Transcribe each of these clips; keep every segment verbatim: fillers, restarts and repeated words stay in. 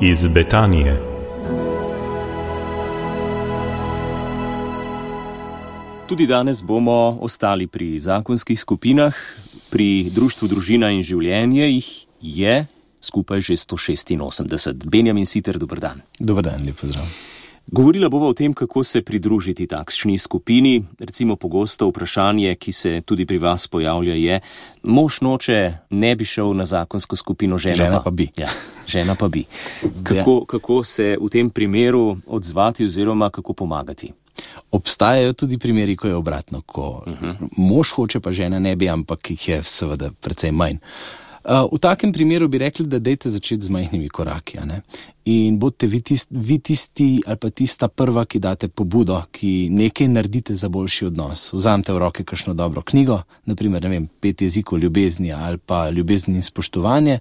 iz Betanije. Tudi danes bomo ostali pri zakonskih skupinah. Pri Društvu Družina in življenje jih je skupaj že sto šestinosemdeset. Benjamin Siter, dober dan. Dober dan, lep pozdrav. Govorila bova o tem, kako se pridružiti takšni skupini. Recimo pogosto vprašanje, ki se tudi pri vas pojavlja, je: mož noče, ne bi šel na zakonsko skupino, žena, žena pa. pa bi. Ja, žena pa bi. Kako, kako se v tem primeru odzvati oziroma kako pomagati? Obstajajo tudi primeri, ko je obratno, ko uh-huh. mož hoče, pa žena ne bi, ampak jih je seveda precej manj. Uh, v takem primeru bi rekli, da dejte začeti z majhnimi koraki, a ne? In bodite vi tisti, vi tisti ali pa tista prva, ki date pobudo, ki nekaj naredite za boljši odnos. Vzamete v roke kakšno dobro knjigo, naprimer, ne vem, pet jezikov ljubezni ali pa ljubezni in spoštovanje.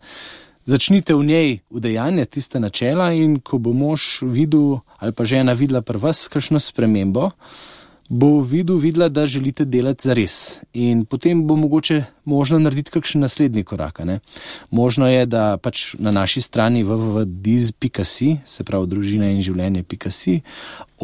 Začnite v njej udejanjati tiste načela in ko bo mož videl ali pa žena videla pri vas kakšno spremembo, bo videl, videla, da želite delati zares. In potem bo mogoče možno narediti kakšen naslednji korak. Ne? Možno je, da pač na naši strani w w w pika diz pika si, se pravi družina in življenje pika si,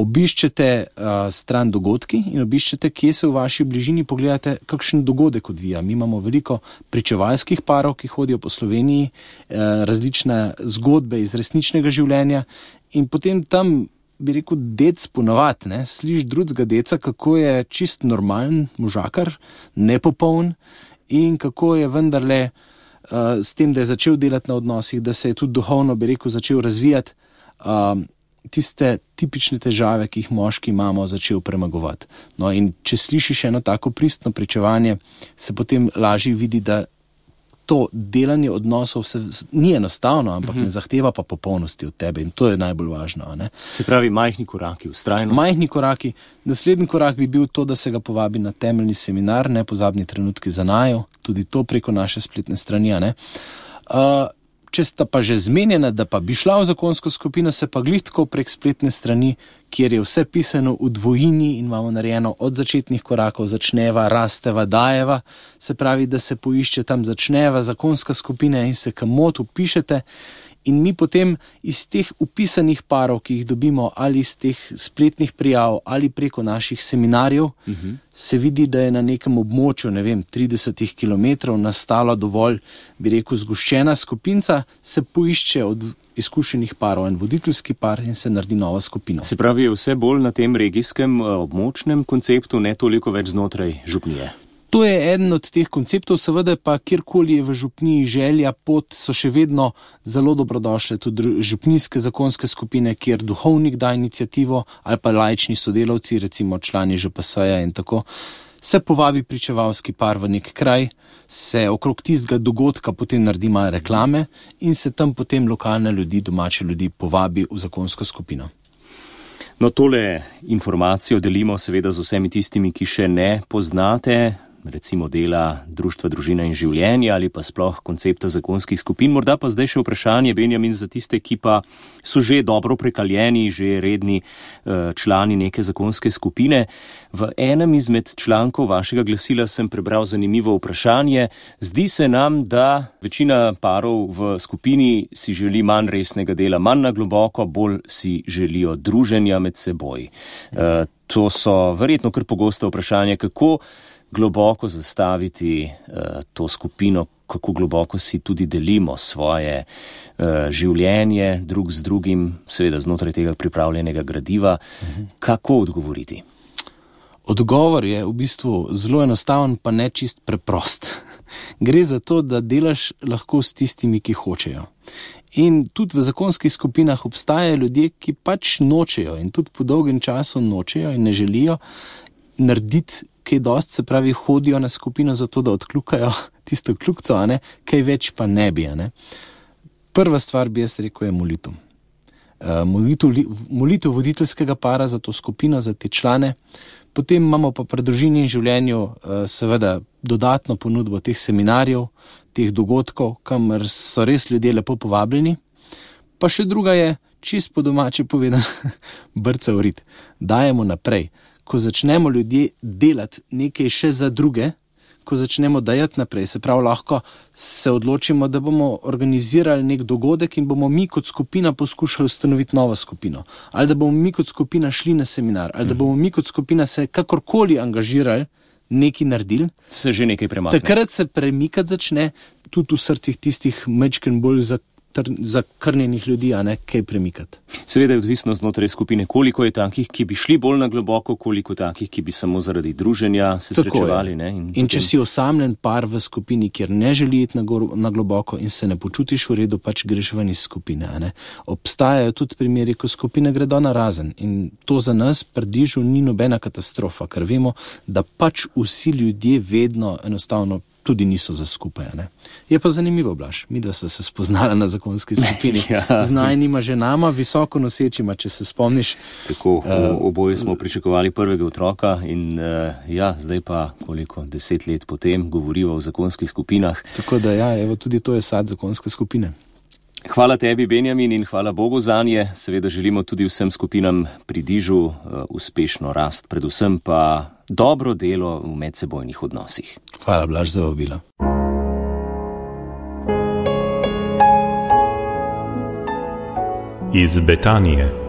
obiščete uh, stran dogodki in obiščete, kje se v vaši bližini, pogledate, kakšen dogodek odvija. Mi imamo veliko pričevalskih parov, ki hodijo po Sloveniji, uh, različne zgodbe iz resničnega življenja in potem tam bi rekel, dec ponovati, ne, sliš drugega deca, kako je čist normalen možakar, nepopoln in kako je vendarle uh, s tem, da je začel delati na odnosih, da se je tudi duhovno, bi rekel, začel razvijati, uh, tiste tipične težave, ki jih moški imamo, začel premagovati. No in če slišiš eno tako pristno pričevanje, se potem lažje vidi, da to delanje odnosov se ni enostavno, ampak uh-huh. ne zahteva pa popolnosti od tebe in to je najbolj važno. Ne? Se pravi, majhni koraki, vztrajnost. Majhni koraki. Naslednji korak bi bil to, da se ga povabi na temeljni seminar, nepozabni trenutki za naju, tudi to preko naše spletne strani. Ne? Uh, če sta pa že zmenjena, da pa bi šla v zakonsko skupino, se pa glih tako prek spletne strani, kjer je vse pisano v dvojini in imamo narejeno od začetnih korakov, začneva, rasteva, dajeva, se pravi, da se poišče tam začneva, zakonska skupina in se kamot upišete in mi potem iz teh upisanih parov, ki jih dobimo ali iz teh spletnih prijav ali preko naših seminarjev, uh-huh. se vidi, da je na nekem območju, ne vem, trideset kilometrov nastala dovolj, bi rekel, zgoščena skupinca, se poišče od izkušenih parov en voditeljski par in se naredi nova skupina. Se pravi, je vse bolj na tem regijskem območnem konceptu, ne toliko več znotraj župnije. To je eden od teh konceptov, seveda pa kjerkoli je v župniji želja, pot, so še vedno zelo dobrodošle tudi župnijske zakonske skupine, kjer duhovnik da inicijativo ali pa laični sodelavci, recimo člani Ž P S-ja in tako, se povabi pričevalski par v nek kraj, se okrog tistega dogodka potem naredi malo reklame in se tam potem lokalne ljudi, domače ljudi povabi v zakonsko skupino. No, tole informacijo delimo seveda z vsemi tistimi, ki še ne poznate, recimo dela Društva Družina in življenje ali pa sploh koncepta zakonskih skupin. Morda pa zdaj še vprašanje, Benjamin, za tiste, ki pa so že dobro prekaljeni, že redni uh, člani neke zakonske skupine. V enem izmed člankov vašega glasila sem prebral zanimivo vprašanje. Zdi se nam, da večina parov v skupini si želi manj resnega dela, manj na globoko, bolj si želijo druženja med seboj. Uh, to so verjetno kar pogosto vprašanje, kako globoko zastaviti uh, to skupino, kako globoko si tudi delimo svoje uh, življenje drug z drugim, seveda znotraj tega pripravljenega gradiva. Uh-huh. Kako odgovoriti? Odgovor je v bistvu zelo enostaven, pa ne čist preprost. Gre za to, da delaš lahko s tistimi, ki hočejo. In tudi v zakonskih skupinah obstajajo ljudje, ki pač nočejo in tudi po dolgem času nočejo in ne želijo narediti kaj dost, se pravi, hodijo na skupino zato, da odkljukajo tisto kljukco, a ne, kaj več pa ne bi, a ne. Prva stvar bi jaz rekel je molitev. Uh, molitev, molitev voditeljskega para za to skupino, za te člane. Potem imamo pa pri družini in življenju uh, seveda dodatno ponudbo teh seminarjev, teh dogodkov, kamor so res ljudje lepo povabljeni. Pa še druga je, čist po domače povedan, brca v rit. Dajemo naprej. Ko začnemo ljudje delati nekaj še za druge, ko začnemo dajati naprej. Se pravi, lahko se odločimo, da bomo organizirali nek dogodek in bomo mi kot skupina poskušali ustanoviti novo skupino. Ali da bomo mi kot skupina šli na seminar, ali da bomo mi kot skupina se kakorkoli angažirali, nekaj naredili. Se že nekaj premakne. Takrat se premikati začne tudi v srcih tistih majčken bolj za zakrnjenih ljudi, a ne kaj premikati. Seveda je odvisno znotraj skupine, koliko je takih, ki bi šli bolj na globoko, koliko takih, ki bi samo zaradi druženja se Tako srečevali. Ne? In, in potem... če si osamljen par v skupini, kjer ne želi iti na, gor, na globoko in se ne počutiš v redu, pač greš ven iz skupine. A ne? Obstajajo tudi primeri, ko skupine gredo na razen in to za nas pri Dižu ni nobena katastrofa, ker vemo, da pač vsi ljudje vedno enostavno tudi niso za skupaj. Ne? Je pa zanimivo, Blaž, mi dva sva se spoznala na zakonski skupini. ja, z najnima ženama, visoko nosečima, če se spomniš. Tako, uh, oboje smo pričakovali prvega otroka in uh, ja, zdaj pa koliko, deset let potem govoriva o zakonskih skupinah. Tako da ja, evo, tudi to je sad zakonske skupine. Hvala tebi, Benjamin, in hvala Bogu zanje. Seveda želimo tudi vsem skupinam pri Dižu uh, uspešno rast, predvsem pa dobro delo v medsebojnih odnosih. Hvala, Blaž, za vabilo. Iz Betanije.